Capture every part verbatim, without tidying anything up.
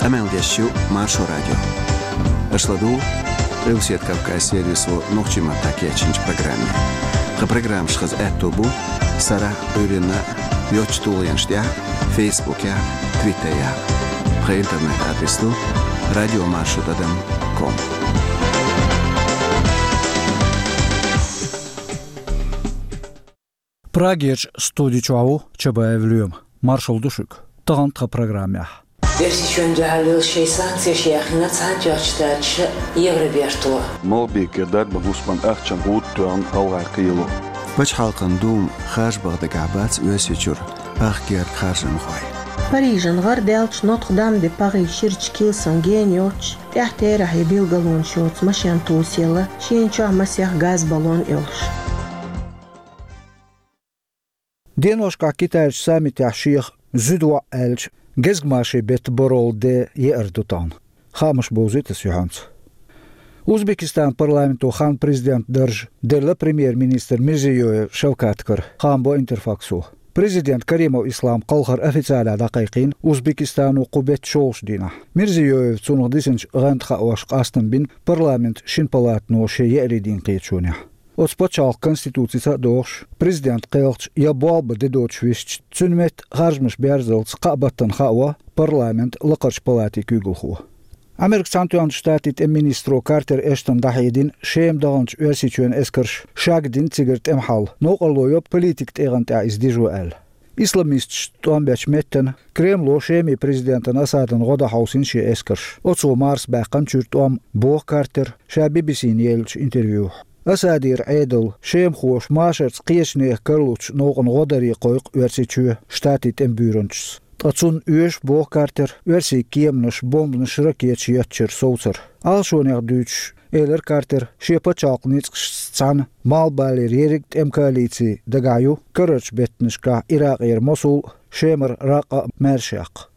Къамел деш ю Маршо радио. Аша ладугӀу Къилбаседа Кавказан сервисо нохчийн маттахь кечйинчу программе. Тхан программаш хаза аьтто бу сарахь а, Ӏуьйранна а йоцчу тулгӀенаш тӀехь а, Фейсбукехь а, Твиттерехь а. Тхан интернет-адрес ду радиомаршо тӀадам ком. Прагерчу студи чохь ву Чабаев Лоьма. Маршалла ду шуьга. Тахана тхан программехь. Оьрсийчоьнна дуьхьал йолу шайн санкцеш яьхна Цхьаьнатоьхначу Штаташа Евроберто. Малхбекера дарбан хӀусаман ахчанан гӀуда тоьхна гӀалгӀайн кхело. Пачхьалкхан Дума харжа баха дагахь бац Оьрсийчуьра ах гергга харжамхой. Парижан гӀарадаьллачу Нотр-Дам-де-Пари ширачу килсан гена йоцуш, тӀаьхьа терахь я билгалонаш йоцу машен тосаелла, шена чохь масех газ баллон а йолуш. Деношкахь Китайчу саммитехь шех зуьда воӀ аьллачу гезгмашин беттан барол де еар ду тахана. Хаамаш бовзуьйту аса юьхьанца. Узбекистанан парламенто хан президентан дарж делла премьер-министр Мирзиёев Шавкатгара, хаам бо Интерфаксо. Президент Каримов Ислам кхалхар официалехь дӀакхайкхийна Узбекистано кху беттан шолгӀачу дийнахь. Мирзиёевс цунах дисинчу гӀанташа хаош къастам бина парламентан шина палатано шен еарин дийнан кхеташонехь. Оцу пачхьалкхан конституцица а догӀуш, президентан кхелхачу я болх бан де доцуш висча, цуьнан метта харжамаш берзалц кхаа баттана хао парламентан лакхарчу палатин куьйгалхо. Американ Цхьаьнатоьхначу Штатийн тӀеман министро Картер Эштона дӀахьедина Шема даханчу Оьрсийчоьнан эскарша шагдина цигара тӀеман хьал, новкъарло йо политикан тӀегӀан тӀехь иза дижо аьлла. Исламисташца тӀом бечу меттана Кремло Шеман президентана Асадана гӀо дан хьовсийна шен эскарш. Оцо марса баьккхина чуьра тӀом, боху Картера ша Би-Би-Сина еллачу интервьюхь. Асадера Ӏедал, шемахоша машарца кхечу нехан кара луучу новкъана гӀо даре кхойкху Оьрсийчоь Штатийн тӀеман буьйранчас. Ткъа цунна оьшу, боху Картера, оьрсийн кеманаш, бомбанаш, ракеташ еттачуьра совцар. Ӏалашонех дуьйцуш, элира Картера, шен пачхьалкхан ницкъашца цхьаьна Малхбалера ерриг а тӀеман коалици дагахь ю карарчу беттанашкахь Иракъера Мосул а, Шемара Ракъа а маьрша яккха.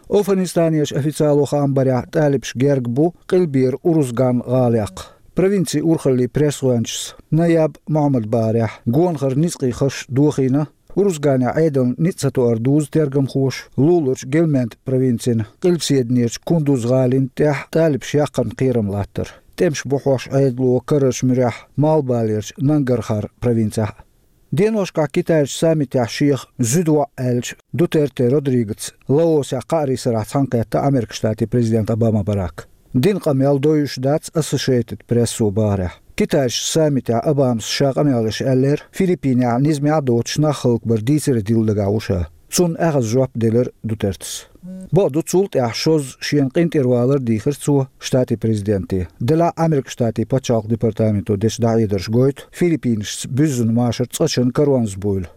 АфгӀанистанерчу официало хаам барехь, талибаш герга бу къилбера Урузган гӀала яккха. Провинцин урхаллин пресс-гӀоьнчас Наяб Мохьмада бахарехь, гонахара ницкъийн хаш дохийна, Урузганехь Ӏедална ницкъ ца тоар дузу тергамхоша луларчу Гельманд провинцина къилбаседанерчу Кундуз гӀалин тӀехь талибаш яккхарна кхерам латтар. ТӀемаш бу хьош Ӏедало карарчу муьрехь Малхбалерчу Нангархар провинцехь а. Деношкахь Китайчу саммитехь шех зуьда воӀ аьллачу Дутерте Родригоца Лаосехь кхаарин сарахь цхьаьнакхетта Американ Штатийн президент Обама Барак. Дина къамел дойуш дац Associated Press-о бахарехь. Китайчу саммитехь Обамас ша къамел деш аьллера, Филиппинехь низамехь а доцуш нах хӀаллакбар дийцаре дилла дагахь ву ша. Цунна аьхаза жоп делира Дутертес. Бакъду, цул тӀаьхьа шозза шена къинтӀера валар дийхира цо Штатийн президенте. Делахь а Американ Штатийн пачхьалкхан департаменто дечу дӀахьедарша гойту Филиппинашца буьззина машар цкъачунна коронавирус буйла.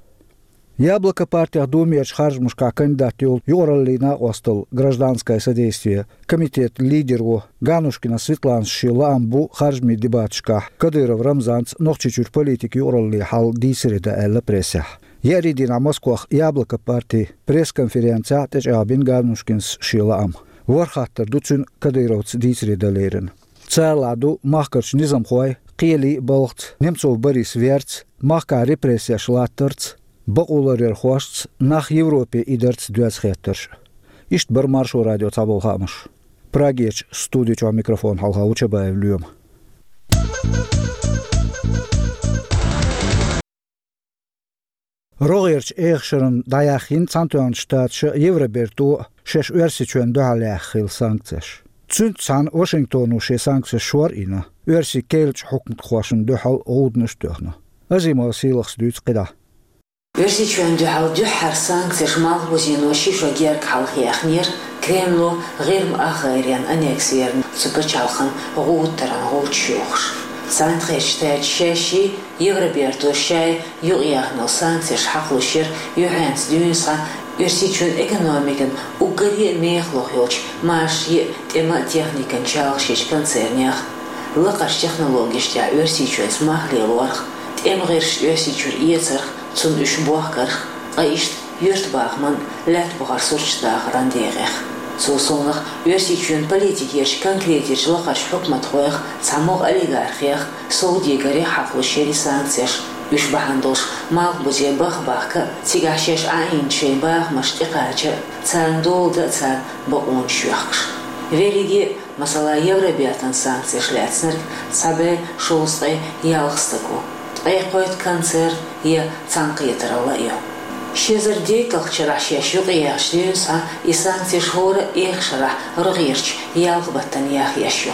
Яблоко партех Думерчу харжамашкахь кандидат йолу юкъараллин накъосталла, гражданское содействие комитетан лидеро Ганнушкина Светланас шен лаам бу харжамийн дебаташкахь Кадыров Рамзанца Нохчийчуьра политикан юкъараллин хьал дийцаре дан аьлла прессехь. Еарин дийнахь Москвахь Яблоко партин пресс-конференцехь тӀечӀагӀбина Ганнушкинас шен лаам. ВорхӀ хаттар ду цуьнан Кадыровца дийцаре дан лерина. Царалахь ду махкарчу низамхойн, кхелин а балхаца, Немцов Борис верца, махкахь репрессеш латтарца, бакъо ларъярхошца, нах Европе идарца доьзна хеттарш. Иштта бара Маршо радион цхьаболу хаамаш. Прагерчу студи чохь микрофон хьалха ву Чабаев Лоьма. РогӀерчу эха шарна дӀаяьхйина Цхьаьнатоьхначу Штаташа а, Евроберто а шаьш Оьрсийчоьнна дуьхьал яьхна хилла санкцеш. Цуьнца цхьаьна Вашингтоно шен санкцеш шор а йина, оьрсийн керлачу хьукматхошна дуьхьал гӀуданаш а тоьхна. Азимова Сийлахас дуьйцу кхидӀа. Оьрсийчоьнна дуьхьал дуьххьара санкцеш Малхбузено ши шо гергга хьалха яьхнера, Кремло ГӀирма ахгӀайренна аннекс ярна цу пачхьалкхана гӀуда таран гӀулчаш йохуш. Цхьаьнатоьхначу Штаташа шаьшшиъ, Евробертоша шаьш юкъаяьхна йолу санкцеш хьакхалуш яра юьхьанца дуьйна схьа Оьрсийчоьнан экономикана уггаре а мехалуш йолчу машарийн а, тӀеман а техникан чалхашечу концернех, лакхарчу технологешна тӀехь Оьрсийчоьнца мах лелорх, тӀеман гӀирсаш Оьрсийчуьра эцарх, цунна уьш бохкарх, ткъа иштта юьртбахаман, лаьтта бахаран сурташ дахаран декъех. Цул совнаха, Оьрсийчоьнан политикерчу конкретечу лакхарчу хьукматхойх, цхьамогӀа олигархех, совдегарх хьакхалуш яра и санкцеш. Уьш бахьана долуш малхбузе баха бахка а, цигахь шаьш Ӏаийначу шайн бахамашна тӀекхача а, царна дола дан а царна бакъонаш йоьхкуш. Верриге а, масала, Евробертан санкцеш лаьцнарг цхьа бӀе шовзткъе ялх стаг ву, ткъе кхойтта концерн я цхьаьнакхетаралла а ю. Ши эзар дейтталгӀачу шарахь шаьш юкъаяьхча дуьйна схьа, и санкцеш хӀора а эха шарахь рогӀерчу ялх баттана яха еш ю.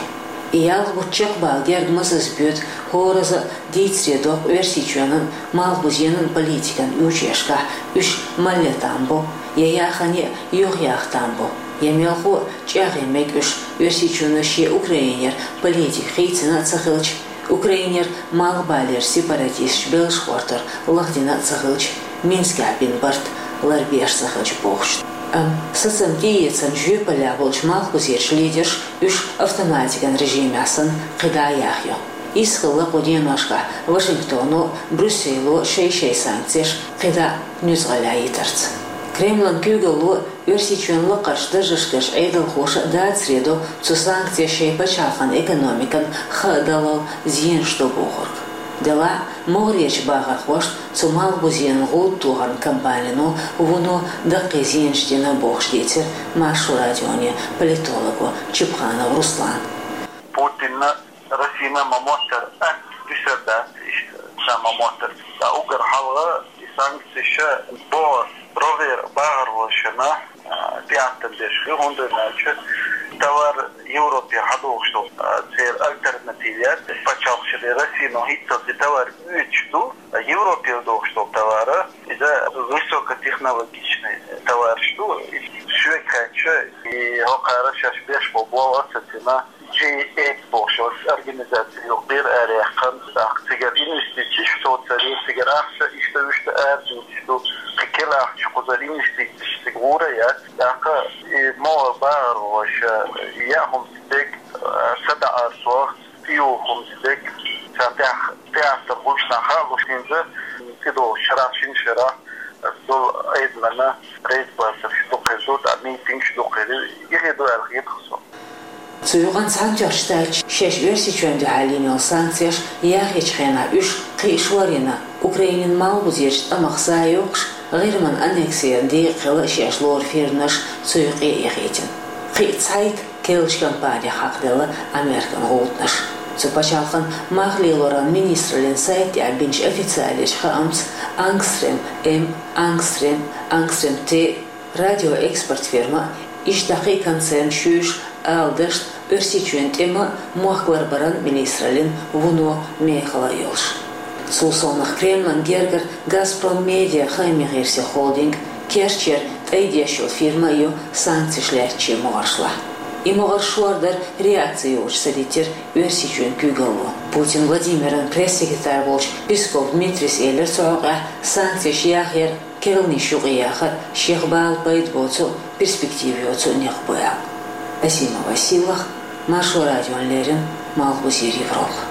И ялх бутт чекхбала герга мазаз боьду, хӀораза а дийцаре доккху Оьрсийчоьнан малхбузенан политикан учуьркашкахь уьш малле там бо, я яхане а юхаяха там бо, я мелхо а чӀагӀъян мега уьш, Оьрсийчоьно шен Украинера политика хийцина а ца хилча, Украинера малхбалера сепаратисташ белш гӀортар лахдина а ца хилча, Минскехь бина барт ларбеш ца хилча бохуш. Амма сацам тӀеэцарна жоьпаллехь болчу малхбузерчу лидерша уьш автоматикан режимехь санна кхидӀа а яхайо. Иза хилла кху деношкахь Вашингтоно а, Брюссело а шай-шайн санкцеш кхидӀа а нуьцкъаллехь йитарца. Кремлан куьйгалло Оьрсийчоьнан лакхарчу даржашкарчу Ӏедалхоша а дацаре до цу санкцеша шайн пачхьалкхан экономикан хаа даллал зенаш до бохург. Делахь а могӀарерчу бахархошна цу малхбузенан гӀуда тохаран кампанино вуно даккхий зенаш дина бохуш дийцира Маршо радионе политолого Чепханов Руслана. Путинна Россина ма моттара атта дуьсур дац, иштта ша ма моттара. Ткъа уггар хьалха и санкцеша боху рогӀера бахархошна, а, тӀеӀаткъам беш хир, хӀунда аьлча товар Европе хьадохуш долу, а, церан альтернатива яц. Пачхьалкхашна Россино хӀинццалц и товар оьцуш ду, а Европе дохуш долу товар, иза высокотехнологичный товараш ду. И шуьга хаьттича, и хӀокхара шаьш беш болу болх а ца цина, G eight бохуш йолчу организаци юкъера араяьккхина, тӀаккха цигара инвестицеш совцаре, цигара ахча иштта-вуьшта арадуьйцуш ду, кхин кхин ахча кхузара инвестицеш цига гӀур а яц, тӀаккха и могӀара бахархоша яа хӀума ца дерг, а, садаӀар сох, тӀеюху хӀума ца дерг, царна тӀехь тӀеӀаткъам хуьлуш нах а луш хӀинца, тӀедогӀучу шарахь, шина шарахь долу Ӏедална рейд-бацарш дукха хир ду, тӀаккха митингаш дукха хир ю, и хир ду аьлла хета-кх суна. Цу юкъанна Цхьаьнатоьхначу Штаташа шаьш Оьрсийчоьнна дуьхьал йина йолу санкцеш яхъечу хенахь уьш кхин а шорйина, Украинан малхбузерчу тӀамах сов а йоккхуш, ГӀирман аннексеран декъахь хилла шаьш лору фирманаш цу юкъе а яхийтина. Кхин а цхьайтта керлачу кампанех хьакхаделла Американ гӀудамаш. Цу пачхьалкхан мах лелоран министраллин сайта тӀехь бинчу официалечу хаамца Ангстрем М, Ангстрем, Ангстрем Т, радиоэкспорт фирма, иштта кхин а концерн шуьйш ала дашна Оьрсийчоьнан тӀеман а, мохк ларбаран а министраллин вуно мехала а йолуш. Цул совнаха Кремлан гергара Газпром Медиа хаамийн гӀирсийн холдинг, керчера тӀайдеш йолу фирма а ю санкцеш лаьттачийн могӀаршлахь. И могӀарш шордар реакци йолуш ца диттира Оьрсийчоьнан куьйгалло. Путин Владимиран пресс-секретарь волчу Песков Дмитрийс элира цу хьокъехь санкцеш яхъяр, керланаш юкъаяхар шех бала пайда боцу а, перспектива йоцу а некъ бу аьлла. Асима Василах, Маршо радиона леррина, Малхбузера Европа.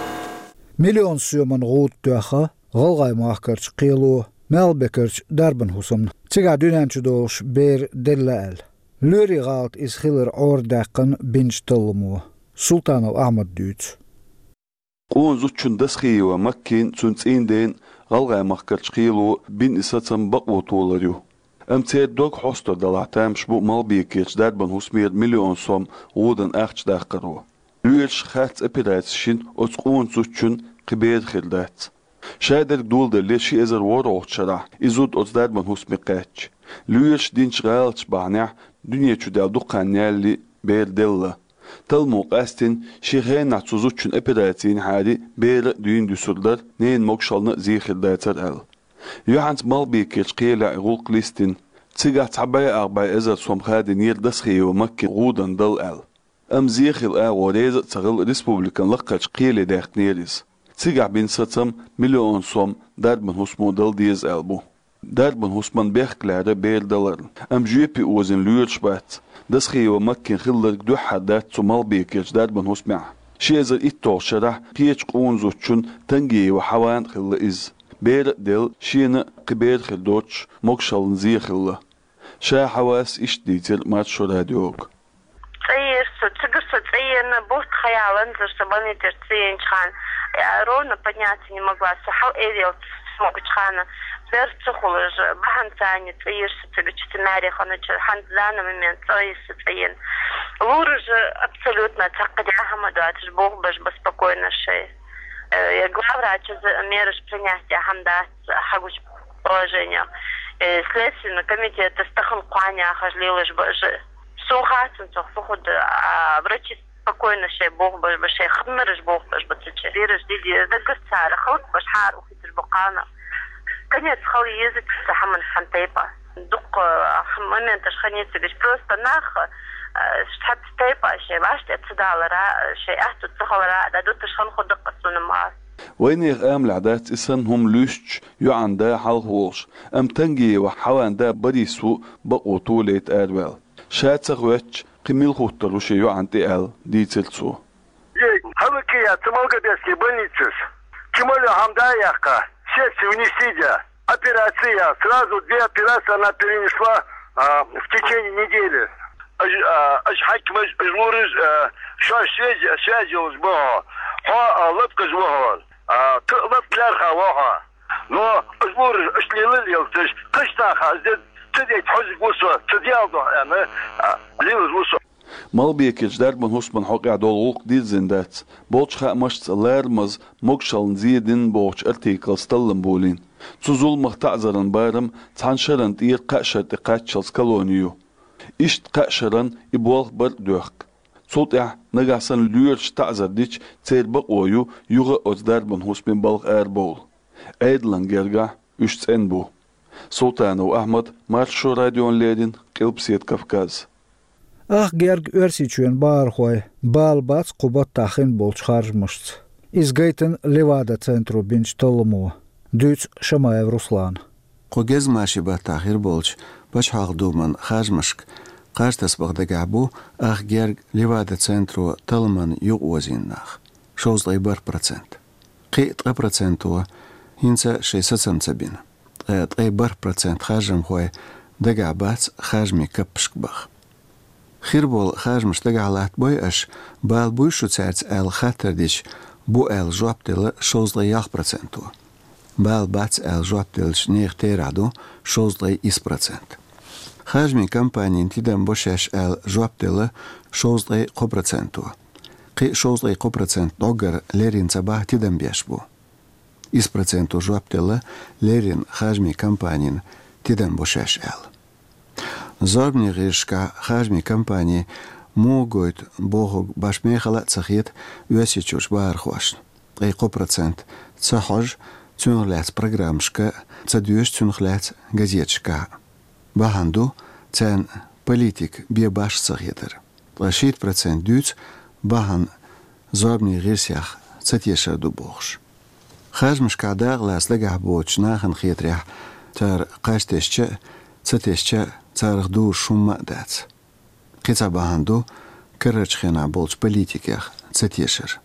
Миллион соьман гӀуда тоьхна ГӀалгӀай махкарчу кхело Малхбекарчу дарбан хӀусамна, цигахь дуьнен чу догӀуш бер делла аьлла. Лоьрийн гӀалат иза хилар Ӏорадаьккхина бинчу талламо. Султанов Ахьмада дуьйцу. Къона зудчун Досхиева Маккин, цуьнан цӀийнан ден ГӀалгӀай махкарчу кхело бина и сацам бакъо толур ю. Амма церан дог хьостур делахь, тамаш бу Малхбекерчу дарбан хӀусамера миллион сом гӀудан ахча даккхаро. Лоьраша харц операци йина оцу къона зудчун кхин бер хир дац. Шадерг доладале, ши эзар ворхӀалгӀачу шарахь и зуда оцу дарбан хӀусаме кхаьчча, лоьраша динчу гӀалаташ бахьанехь дуьне чу даьлла дукха хан ялале бер делла. Талламо къастийна, шен хенахь цу зудчун операци йинехьара бер а дуьйна дуьсур дара, ненан могушаллина а зе хир дацара аьлла. Юьхьанца Малхбекерчу кхелехь и гӀуллакх листина. Цигахь цхьа бӀе ах бӀе эзар сом хадийнера Досхиева Маккина гӀуда дала аьлла. Амма зе хила агӀо реза а ца хилла, республикан лакхарчу кхеле даьккхинера иза. Цигахь бина сацам миллион сом дарбан хӀусамо дала деза аьлла бу. Дарбан хӀусаман бехк лаьрра бер даларна, амма жоьпе озийна лоьраш бац. Досхиева Маккина хилларг дуьххьара дац цу Малхбекерчу дарбан хӀусамехь. Ши эзар итталгӀачу шарахь кхечу къона зудчун Тангиева Хьаван а хилла иза. Бер а делла, шена а кхин бер хир доцуш, могушаллина зе хилла. Ша Хьавас иштта дийцира Маршо радиога. ЦӀа ера со, цигара со цӀа еана, бутт ха яланзара со больницера цӀа еанчхьана, я ровно подняться не могла, со хьал-эр яла Могучхана, берца хулаш, бахьан цани цӀийрса цигача маьре хана чу, хьан данный момент цӀийрса цӀийин. Лураж абсолютно цхьаккха дяхама дуаташ бохбаш ба спокойно шей. Э, я главврач из мераш принятия хьамдац хьагуч положение. Э, следственный комитет стахан кханя хаж лилаш бажи. Сун хацун цох фухуд, а врачи спокойно шей бохбаш ба, шей хадмараш бохбаш ба цаче. Бераш диди даггар цара халк баш хар ухиташ бакана. Конец хал езит са хаман хан тайпа. Дук моменташ ханецигаш просто нах штат тайпа шей ваште цадалара, шей ахту цахалара, да дуташ хан худак сунама. Вайнех амлах дац исан хум лүсч юан да халхулш. Ам танги ва хаван да барису бакъу тулейт арвел. Ша ца хвеч, кхы мил хуттар уше юан тӀе аьл, дийцар цо. Ей, хӀалакхи яц Малгобекский больницаш. Кимале хӀама да яьккха, сердце внести да. Операция, сразу две операции она перенесла, а, в течение недели. Аж, а, аж хьакимаш, аж лураж, а, шоаш связи, связи уж бахо. Хьо, а, лапкаш вахо. А, т-, лапк лярха вахо. Но аж лураж, аж лилал елташ, каштаха, аж дед, ца дед хьозиг вусо, ца диалдо, а, лилаж вусо. Малгобекерча дарбан хӀусаман хьокъехь долу гӀуллакх дирзина дац. Болчу хаамашца ларамаза могушаллин зен дина бохучу артиклаца таллам болийна. Цу зуламах таӀзаран барам цхьана шарна тӀера кхаа шарна тӀе кхаччалц колони ю. Иштта кхаа шарна и болх бар а доьхку. Цул тӀаьхьа нагахь санна лоьраша таӀзар дича, церан бакъо ю юха а оцу дарбан хӀусамийн балха арабовла. Ӏедалан гергахь уьш цӀена бу. Султанов Ахьмад, Маршо радиона леррина, Къилбаседа Кавказ. Ах герга Оьрсийчоьнан бахархой бала бац кху баттахь хин болчу харжамашца. Иза гайтина Левада-центро бинчу талламо, дуьйцу Шамаев Руслана. Кху гезгмашин баттахь хир болчу Пачхьалкхан Думан харжамашка кхаж тасабаха дагахь бу ах герга Левада-центро талламан юкъаозийна нах, шовзткъе бархӀ процент. Кхин а ткъа проценто хӀинца шайн сацам ца бина. Ткъа ткъе бархӀ процент харжамхой дагахь бац харжамийн каппашка баха. Хир болу харжамаш дагахь латтабой аша, бала буй шу цаьрца аьлла хаттар дича, бу аьлла жоп делла шовзткъе ялх проценто. Бала бац аьлла жоп деллачу нехан терахь ду шовзткъе исс процент. Харжамийн кампанина тидам бо шаьш аьлла жоп делла шовзткъе кхо проценто. Кхин а шовзткъе кхо процент доггара леррина ца баха тидам беш бу. Исс проценто жоп делла леррина харжамийн кампанина тидам бо шаьш аьлла. Зорбанийн гӀирсашкахь харжамийн кампани муха гойту бохург баш мехала а ца хета Оьрсийчуьрчу бахархошна. Ткъе кхо процент ца хьожу цунах лаьцна программашка а, ца доьшу цунах лаьцна газеташкахь а. Бахьана ду царна политика бен башха ца хетар. Ткъа шийтта процент дуьйцу бахьана зорбанийн гӀирсех ца тешар ду бохуш. Харжамашкахь дакъалаца дагахь боцучу нахана хетарехь, цара кхаж тесча а, ца тесча а царах дузуш хӀумма а дац. Кхин цхьа бахьана ду карарчу хенахь болчу политикех ца тешар.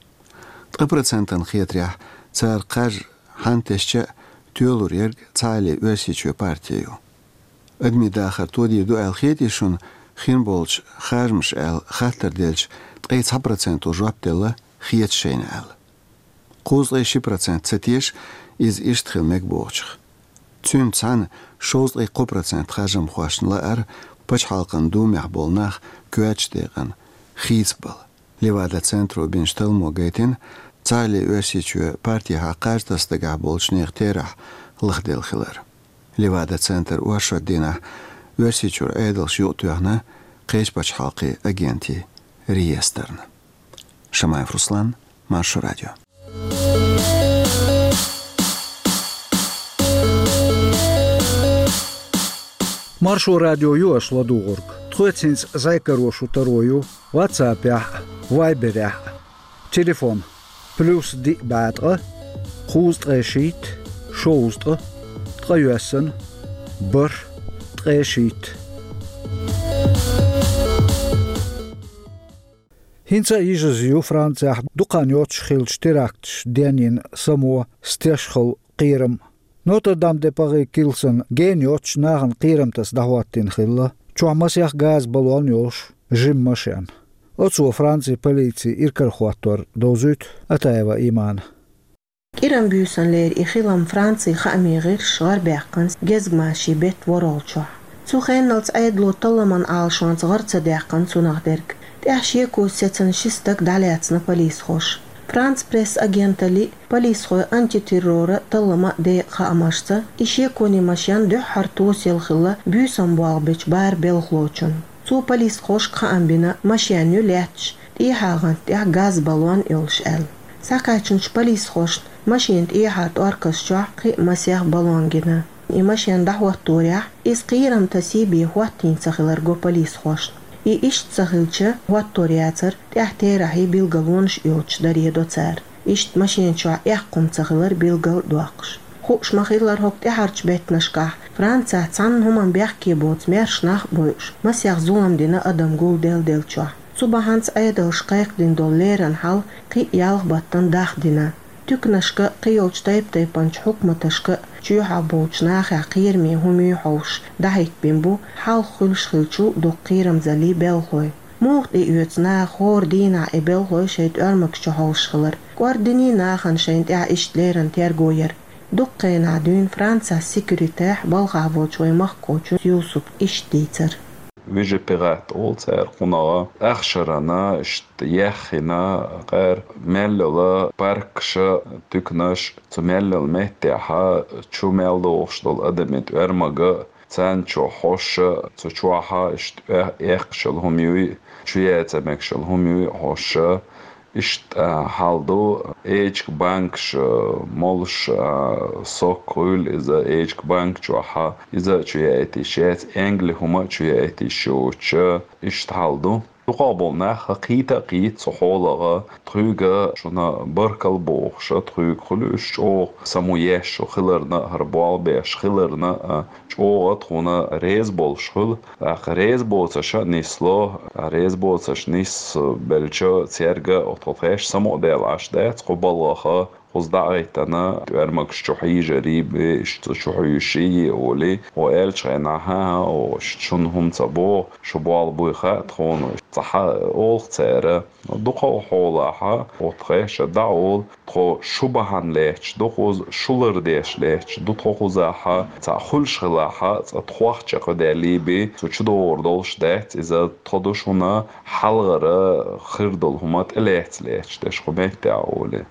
Ткъа процентана хетарехь, цара кхаж хьанна тесча а тоьлур ерг цхьаалле Оьрсийчоь парти ю. Адамийн дахар тодийр ду аьлла хетий шуна хин болчу харжамаша аьлла хаттар делча, ткъе цхьа проценто жоп делла хета шайна аьлла. Кхузткъе ши процент ца теша иза иштта хила мега бохучух. Цуьнца цхьаьна шовзткъе кхо процент харжамхошна лаара Пачхьалкхан Думехь болу нах коьртачу декъана хийцабала. Левада-центро бинчу талламо гайтина, цхьаалле Оьрсийчоь партехьа кхаж таса дагахь болчу нехан терахь лахделла хилар. Левада-центр оршот дийнахь Оьрсийчуьра Ӏедалша юкъатоьхна кхечу пачхьалкхийн агентийн реестрна. Шамаев Руслан, Маршо радио. Маршо радио ю аша ладугӀург. Тхоьца хӀинца зӀе каро шу таро ю WhatsApp-ехь а, Viber-ехь а. Телефон: плюс диъ бӀе ткъа, кхузткъе шийтта, шовзткъа, ткъе йоьссана, бархӀ, ткъе шийтта. ХӀинца а йижаза ю Францехь дукха хан йоццуш хиллачу теракташ денйина само, стешхала кхерам. Нотр-Дам-де-Пари килсан гена йоццуш нахана кхерам таса дӀахӀоттийна хилла. Чохь масех газа баллон йолуш жима машен. Оцо Францин полицин иракарахӀоттор довзуьйту Атаева Имана. КӀиран буьйсанлера и хилам Францин хааман гӀирсаша гӀарабаьккхина гезгмашин беттан ворхӀолгӀачохь. Цу хенналц Ӏедало талламан Ӏалашонца гӀар ца даьккхина цунах дерг. ТӀаьхьа шеко сецна ши стаг дӀалаьцна полисхоша. Франц Пресс агенталлин, полисхойн антитерроран талламан декъан хаамашца, и шеконийн машен дуьххьара тосаелла хилла буьйсанна болх бечу бархӀ белхалочунна. Цо полисхошка хаам бина, машен ю лаьтташ, тӀехьа гӀанта тӀехь газ баллон йолуш аьлла. Схьакхаьчначу полисхошна машенан тӀехьара тӀорказ чохь кхин а масех баллон гина. И машен дӀахӀотторехь, иза кхерам тасий бен хӀоттийна ца хилар го полисхошна. И иштта ца хилча, хӀоттор яцара, тӀехь терахьий билгалонаш а йоцуш даре до цара. Иштта машен чохь эккха хӀума ца хилар билгалдоккхуш. Хууш ма-хиллара, хӀокху тӀаьхьарчу беттанашкахь Францехь цхьана хӀуманна бехке боцу маьрша нах а бойуш, масех зулам дина адам гулделла деллачохь. Цу бахьанца Ӏедалша кхайкхадина долу леррина хьал кхин а ялх баттана дахдина. Туьканашка а, кхин йолчу тайп-тайпанчу хьукматашка а чоьхьахь болчу нахехь кхераме хӀума юй хьовсуш, дӀахӀиттабина бу хьалха хуьлуш хиллачул дукха кхерамзаллин белхалой. Муха тӀе оьцу наха хӀора дийнахь и белхалой шайн тӀоьрмагаш чу хьовсуш хилар? КӀордийний нахана шайна тӀехь иштта леррина терго яр? Дукха хенахь дуьйна Францехь секьюритехь балхахь волчу вайн махкахочун Юсупа иштта дийцар. Вижипегат олу цара кхунах, ахшарана, иштта яьхна, кхара мел йолу паркаша, туьканаш, цу мел йолу меттехьа чу мел дохуш долу адамийн тӀоьрмага, царна чу хьоша, цу чохьа иштта э-, эккхаш йолу хӀума юй, чу яьцна мегаш йолу хӀума юй хьоша. Иштта, а, хьал ду, эчиг банкаш, а, молуш, а, сок хуьлу иза эчиг банк чохьа, иза а чу яийта йиш яц, энгли хӀума а чу яийта йиш йоцуш, иштта хьал ду. Дукхах болу нах кхета а кхийта цу хьолах, тхоьга шуна баркалла бохуша, тхоьга хуьлу уьш чӀогӀа самоеш хиларна а, хӀара болх беш хиларна а, чӀогӀа тхуна реза болуш хуьлу. ТӀаккха реза боцуша нисло, реза боцуш нисбелча церга, тхо тхаьш самукъадаьлла Ӏаш дац, кху балхах, кхуза дӀагӀиттина, тӀоьрмагаш чу хьийжарий бен, иштта чу хьуьйший олий, хьо аьллачу хенахь, хӀан-хӀа, о, шуна хӀума ца боху, шу болх буй хаьа тхуна, цхьа олу цара. Дукхах хьолахьа, тхо тхаьш дӀа олу, тхо шу бахьана лаьтташ ду кхуза, шу лардеш лаьтташ ду тхо кхузахьа, цхьаъ хуьлуш хилахьа, цкъа тхох чекхдаьллий бен, цу чу догӀур долуш дац иза, тхо ду шуна хьалхара хир долу хӀума тӀелаьцна лаьтташ дерш кху меттехь олий.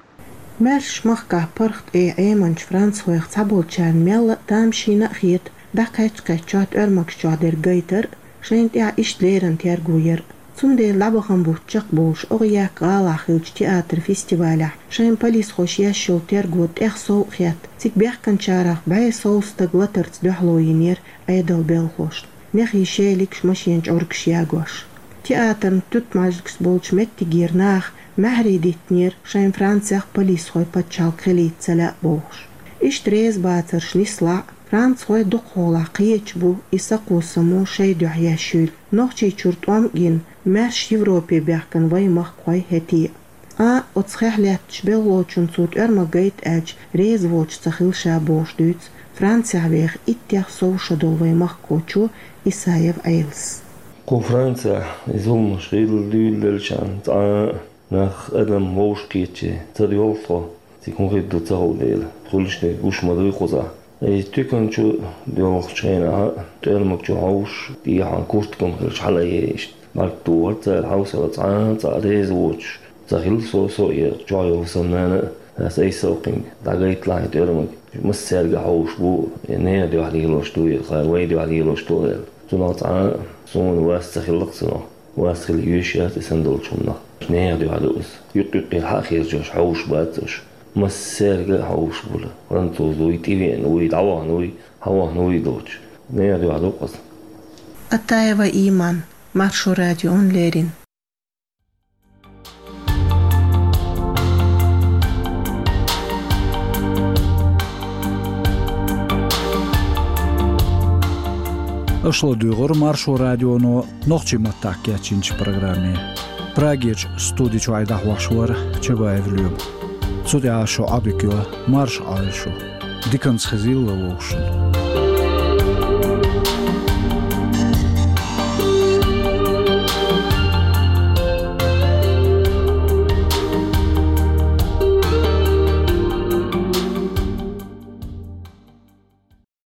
Маьршачу махкахь паргӀат Ӏеминчу францхойх цхьаболчарна мелла а тамашийна а хета, дӀакхаьчча-кхаьчча тӀоьрмагаш чохь дерг гайтар а, шайна тӀехь иштта леррина терго яр а. Цундела дӀабахана бутт чекхболуш, ОгӀъяккха гӀалахь хиллачу театр-фестивалехь шайна полисхоша еш йолу терго тӀех сов а хетта, цига баьхкинчарах бӀе сов стаг латарца дуьхьало йинера Ӏедалан белхалошна, нехий шелигаш, машенан чӀургаш ягош. Театран туьтмажликаш болчу меттигера наха маьхьарий диттинера, шайна Францехь полисхой пачхьалкх хилийта ца лаьа бохуш. Иштта реза бацарш нислахь а, францхой дукхахьолахь кхеташ бу и сакхо-само шайн дуьхьа еш юйла. Нохчийчуьра тӀом а гина, маьрша Европе баьхкина вайн махкахой хӀетте а. Цкъа оцу хехь лаьттачу белхалочунна цо тӀоьрмаг гайта аьлча, реза воцуш ца хилла ша бохуш дуьйцу Францехь веха иттех сов шо долу вайн махкахочо Исаев Ӏелас. Кху Францехь и зуламаш хилла дуьйладелчарна цкъа а нах, адам вовшахкхетча ца доьлху тхо, цига хӀун хир ду ца хуьлу дела, хуьлуш дерг гуш ма дуй кхузахь. И туькан чу доьлхучу хенахь а тӀоьрмаг чу хьовсуш, тӀехьа куртка ма хилча хьала а еш, бӀаьрг тухура цара, хьовсал цкъа а цкъа реза воцуш ца хилла со, со а, и чохь йолу сан нана а, ас айсалкхинга дӀагайталахь и тӀоьрмаг. Массаьрга а хьовсуш бу, и нехан дуьхьа лелош ду, и кхара вайн дуьхьа лелош ду аьлла. Цунах цкъа а суна вас ца хилла-кх цунах. Вас хила йиш яц и санна долчу хӀуманах. Нехан дуьхьа ду иза. Юкъ-юкъера хьа а херчош, хьовсуш бац уьш. Массаьрга а хьовсуш бу-кх. Француз вуй, тӀевеана вуй, дӀавахана вуй, хьавахана вуй доцуш. Нехан дуьхьа ду-кх иза. Атаева Иман, Маршо радиона леррина. Аша ладуьйгӀира Маршо радионо нохчийн маттахь кечйинчу программе. Прагерчу студи чуьра дӀахьош вара Чабаев Лоьма. Цу тӀехь шу Ӏодика йо, марша Ӏойла шу. Диканца хезийла вовшашна.